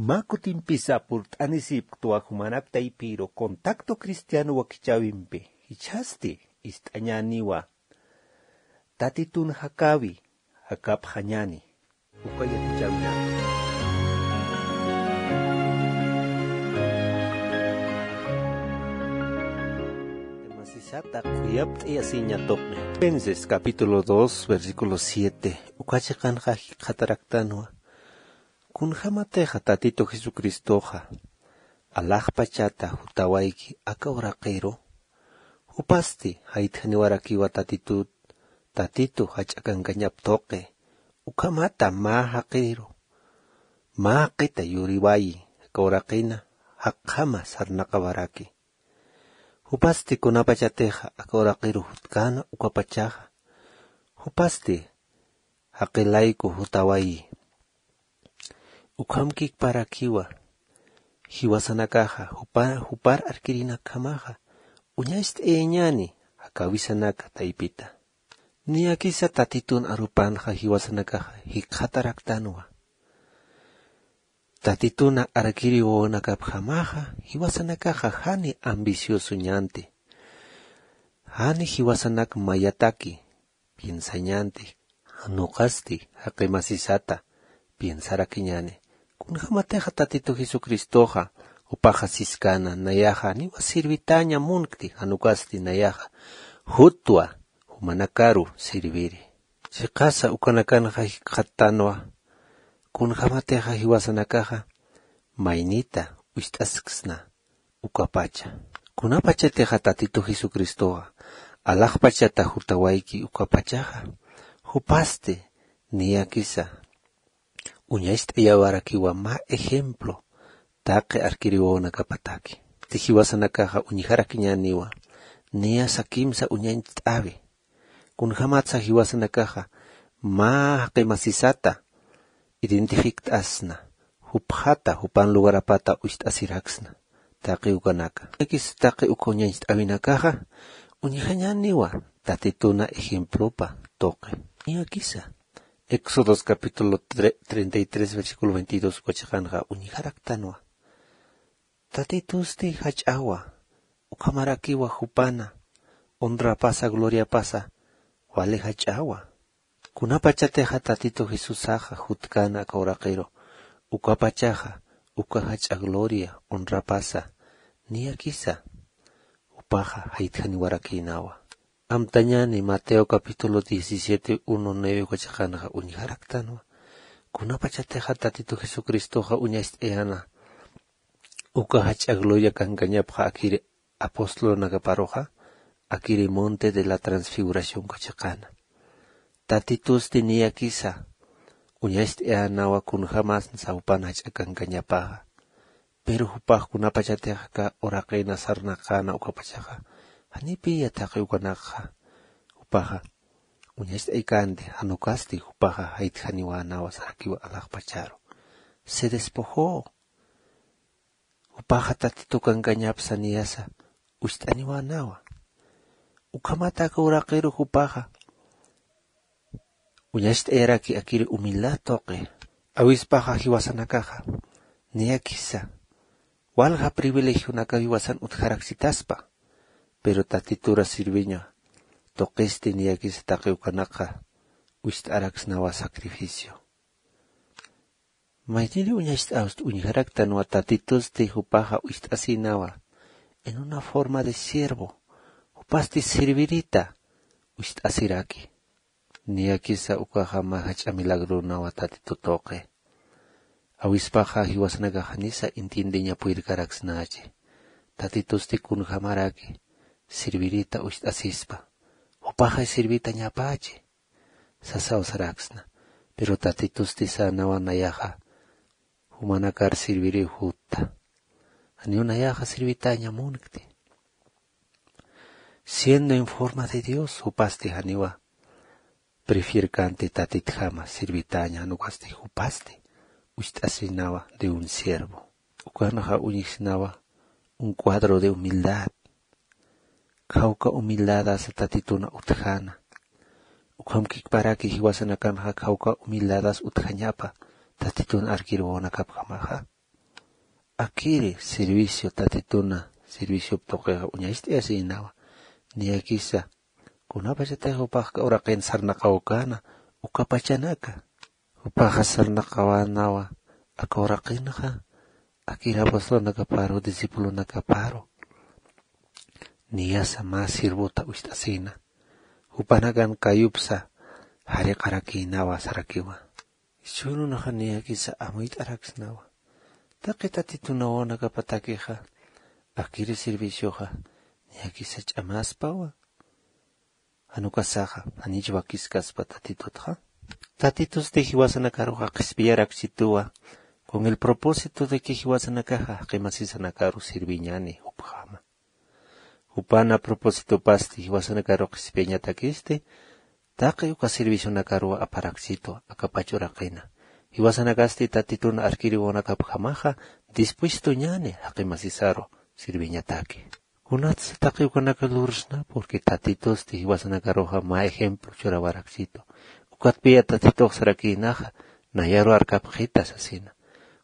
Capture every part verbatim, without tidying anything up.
Mä kutimpisa purt'anisipktwa jumanak taypiru contacto cristiano wakichäwimpi, jichhasti ist'añäniwa. Tatitun jakäwi, jakapxañäni. Uka yatichäwinaka. Masisata khuyapt'ayasiña tuqi. Filipenses capítulo dos, versículo siete. Uka chiqanxa jikxataraktanwa. Kunjämatixa Tatitu Jesucristoxa alaxpachata jutawayki aka uraqiru, jupasti jaytjaniwarakiwa Tatitut, Tatitu jach'a kankañap tuqi, ukhamata mä jaqiru, mä jaqita yuriwayi, aka uraqina jaqjama sarnaqawaraki. Jupasti kunapachatixa aka uraqiru jutkäna ukapachaxa, jupasti jaqilayku jutawayi. Ukhamkikparakiwa jiwasanakaxa, jupa-, jupar arkirinakjamaxa, uñacht'ayañäni jakäwisanaka taypita. Niyakisa Tatitun arupanxa jiwasanakaxa jikxataraktanwa. Tatituna arkiri wawanakapjamaxa, jiwasanakaxa jani ambiciosoñänti. Jani jiwasanak mayataki piensañänti, jan uqasti jaqi masisata piensarakiñäni. Kunjämatixa Tatitu Jesucristoxa, jupaxa siskäna, nayaxa janiwa sirvitäña munkti, jan ukasti nayaxa jutwa jumanakaru sirviri. Chiqasa ukanakanxa jikxattanwa, kunjämatixa jiwasanakaxa maynita ucht'asksna ukapacha. Kunapachatixa Tatitu Jesucristoxa alaxpachata jutawayki ukapachaxa, jupasti niyakisa uñacht'ayawarakiwa mä ejemplo taqi arkiri wawanakapataki. Jiwasanakaxa uñjarakiñäniwa, niyasa kimsa uñacht'äwi. Kunjämatsa jiwasanakaxa mä jaqi masisata identifikt'asna, jupxata, jupan lugarapata ucht'asiraksna, taqi ukanaka. Niyakisa taqi uka uñacht'äwinakaxa uñjañäniwa Tatituna ejemplopa tuqi. Niyakisa Éxodos capítulo tre-, treinta y tres, versículo veintidós uka chiqanxa uñjaraktanwa. Tatitusti jach'awa, ukhamarakiwa jupana honrapasa, gloriapasa wali jach'awa. Kunapachatixa Tatitu Jesusaxa jutkäna aka uraqiru, ukapachaxa uka jach'a gloria, honrapasa niyakisa jupaxa jaytjaniwarakïnawa. Amtañäni Mateo capítulo diecisiete, uno, nueve uka chiqanxa uñjaraktanwa. Kunapachatixa Tatitu Jesucristoxa uñacht'ayäna uka jach'a gloria kankañapxa akiri apostolunakaparuxa, akiri monte de la transfiguración uka chiqana. Tatitusti niyakisa uñacht'ayänawa kunjämasa jupan jach'a kankañapaxa. Pero jupax kunapachatix aka uraqina sarnaqäna ukapachaxa, janipiya taqi ukanakxa jupaxa uñacht'aykänti, jan ukasti jupaxa jaytjaniwänawa sarakiwa alaxpacharu. Se despojó. Jupaxa Tatitu kankañapsa niyasa ucht'aniwänawa. Ukhamat aka uraqiru jupaxa uñacht'ayaraki akiri humildad tuqi. Awispaxa jiwasanakaxa niyakisa walja privilegionaka jiwasan utjaraksitaspa, pero Tatitura sirviña tuqisti niyakisa taqi ukanakxa ucht'araksnawa sacrificio. Mayniri uñacht'awsti uñjaraktanwa Tatitusti jupaxa ucht'asïnawa en una forma de siervo, jupasti sirvirita ucht'asiraki. Niyakisa ukaxa mä jach'a milagronawa Tatitu tuqi. Awispaxa jiwasanakax janisa entiendeña purirkaraksnachi. Tatitusti kunjämaraki sirvirita ucht'asispa. Jupaxa sirvitañapachi sasaw saraksna. Pero Tatitusti sänawa nayaxa jumanakar sirviriw jutta. Janiw nayaxa sirvitäña munkti. Siendo en forma de Dios, jupasti janiwa prefierkänti Tatitjama sirvitäña, jan ukasti jupasti ucht'asinawa de un siervo. Ukanxa uñjsnawa un cuadro de humildad. Khawka humildadasa Tatituna utjäna. Ukhamkikparaki jiwasanakanxa khawka humildadas utjañapa Tatitun arkir wawanakapjamaxa. Akiri servicio tatituna serviciop tuqixa uñacht'ayasïnawa. Niyakisa kunapachatix jupax aka uraqin sarnaqawkäna ukapachanaka. Jupaxa sarnaqawänawa aka uraqinxa akir apostolnakaparu discipulonakaparu. Niyasa mä sirvota wist'asïna jupanakan kayupsa jariqarakïnawa sarakiwa. Jichhürunxa niyakisa amuyt'araksnawa taqi tatitunawanakapatakixa akiri servicioxa niyakisa ch'amaspawa. Jan ukasaxa janich wakiskaspa tatitutxa. Tatitusti jiwasanakaruxa qhispiyaraksituwa con el propósito de que jiwasanakaxa jaqi masisanakaru sirviñani jupjama. Jupan a propósitopasti jiwasanakaru qhispiyañatakisti taqi uka servicionakaruw aparaksitu akapach uraqina. Jiwasanakasti tatitun arkiriwanakapjamaxa dispuestoñani jaqi masisaru sirviñataki. Kunatsa taqi ukanaka lursna porque tatitusti jiwasanakaruxa mä ejemplo churawaraksitu. Ukatpiya tatitux sarakïnaxa nayaru arkapxita sasina.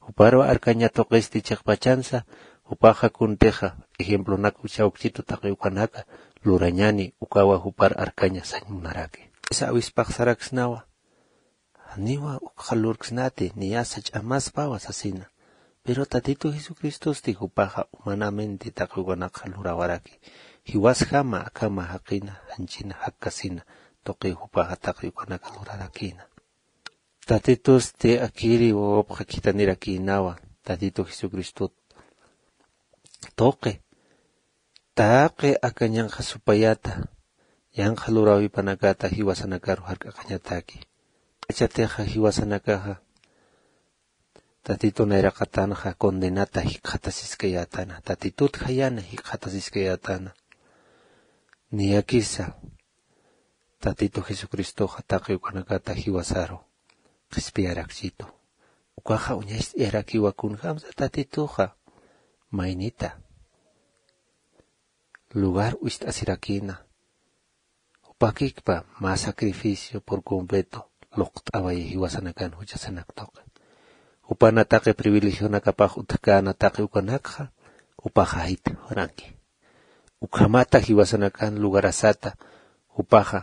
Juparu arkaña tuqisti chiqpachansa jupaxa kuntixa ejemplonak uchawksitu taqi ukanaka lurañani ukawa jupar arkaña sañ munaraki. Isa awispax saraksnawa janiwa ukxa lurksnati niyasa ch'amaspawa sasina. Pero tatitu jesucristosti jupaxa humanamente taqi ukanakxa lurawaraki. Jiwasjama akhama jaqina janchina jakkasina tuqiw jupaxa taqi ukanaka lurarakïna. Tatitusti akiri wawapxa khithanirakïnawa tatitu jesucristot tuqi taqi aka ñanqha supayata yanqha luräwipanakata jiwasanakaru jark'aqañataki. K'achatixa jiwasanakaxa tatitu nayraqatanxa condenata jikxatasiskayätana tatitut jayana jikxatasiskayätana. Niyakisa tatitu jesucristoxa taqi ukanakata jiwasaru qhispiyaraksitu. Ukaxa uñacht'ayarakiwa kunjämsa tatituxa maynita lugar wist'asirakïna. Jupakikpa mä sacrificio por completo luqt'away jiwasanakan juchasanak tuqi. Jupana taqi privilegionakapax utjkäna taqi ukanakxa jupaxa jayt'awaranki. Ukhamata jiwasanakan lugarasata jupaxa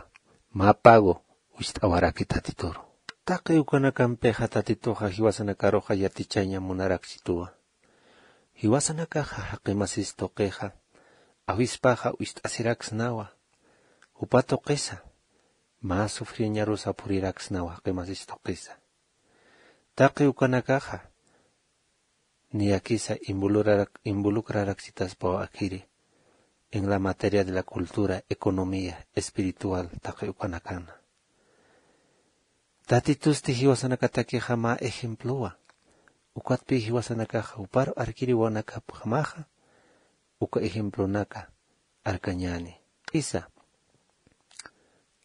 mä pago wist'awaraki tatituru. Taqi ukanakampixa tatituxa jiwasanakaruxa yatichaña munaraksituwa. Jiwasanakaxa jaqi masis tuqixa awispaxa wist'asiraksnawa. Jupa tuqisa mä sufriñarusa phuriraksnawa jaqi masis tuqisa. Taqi ukanakaxa niyakisa involucrarak- involucraraksitaspaw akhiri en la materia de la cultura, economía, espiritual taqi ukanakana. Tatitusti jiwasanakatakixa mä ejemplowa. Ukatpï jiwasanakaxa juparu arkiriwanakapjamaxa uka ejemplonaka arkañäni. Isa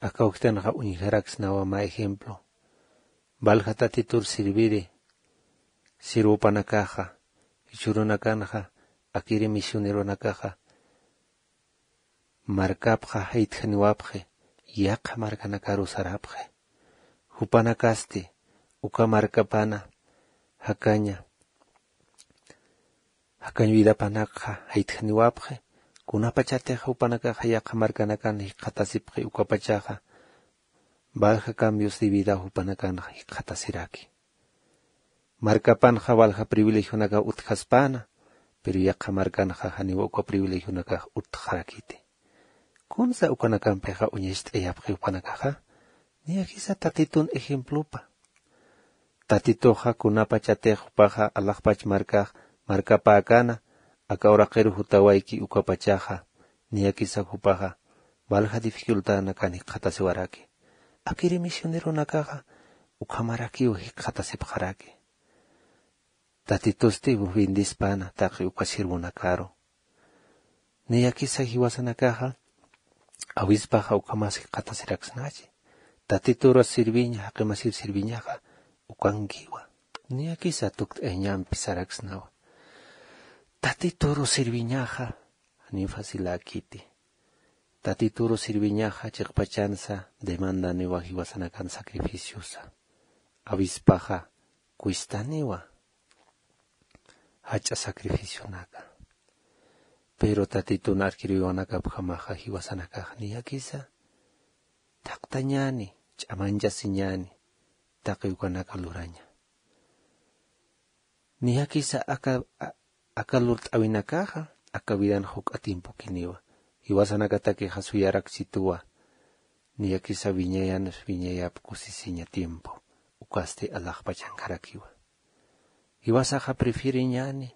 aka uktanxa uñjaraksnawa mä ejemplo. Valja tatitur sirviri sirvupanakaxa jichhürunakanxa akiri misioneronakaxa markapxa jaytjaniwapxi yaqha markanakaru sarapxi. Jupanakasti uka markapana jakaña jakañ vidapanakxa jaytjaniwapxi. Kunapachatix jupanakaxa yaqha markanakan jikxatasipxi ukapachaxa valja cambios de vida jupanakanxa jikxatasiraki. Markapanxa valja privilegionakaw utjaspäna pero yaqha markanxa janiw uka privilegionakax utjarakiti. Kunsa ukanakampixa uñacht'ayapxi jupanakaxa niyakisa tatitun ejemplopa. Tatituxa kunapachatix jupaxa alaxpach markax markapäkäna aka uraqiru jutawayki ukapachaxa niyakisa jupaxa valja dificultadnakan jikxatasiwaraki. Akiri misioneronakaxa ukhamarakiw jikxatasipxaraki. Tatitusti bendispäna taqi uka sirvonakaru. Niyakisa jiwasanakaxa awispaxa ukhamas jikxatasiraksnachi. Tatituru sirviña jaqimasir sirviñaxa ukankiwa. Niyakisa tukt'ayañampi saraksnawa. Tatituru sirviñaxa janiw faciläkiti. Tatituru sirviñaxa chiqpachansa demandaniwa jiwasanakan sacrificiosa. Awispaxa cuestaniwa. jach'a sacrificionaka. Pero tatitun arkiriwiwanakapjamaxa jiwasanakax niyakisa thaqtañäni, ch'amanchasiñäni taqi ukanaka luraña. Niyakisa aka aka lurt'awinakaxa aka vidan juk'a tiempokiniwa. Jiwasanakatakixa suyarakchituwa. Niyakisa wiñayanus wiñayap kusisiña tiempo ukasti alaxpachankarakiwa. Jiwasaxa prefiriñani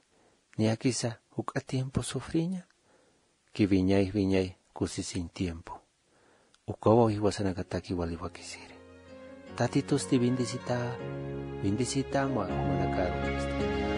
niyakisa juk'a tiempo sufriña ki wiñay wiñay kusisiñ tiempo. Ukawaw jiwasanakataki waliwakisiri. Tatitusti bendisita bendisita marumanakaru.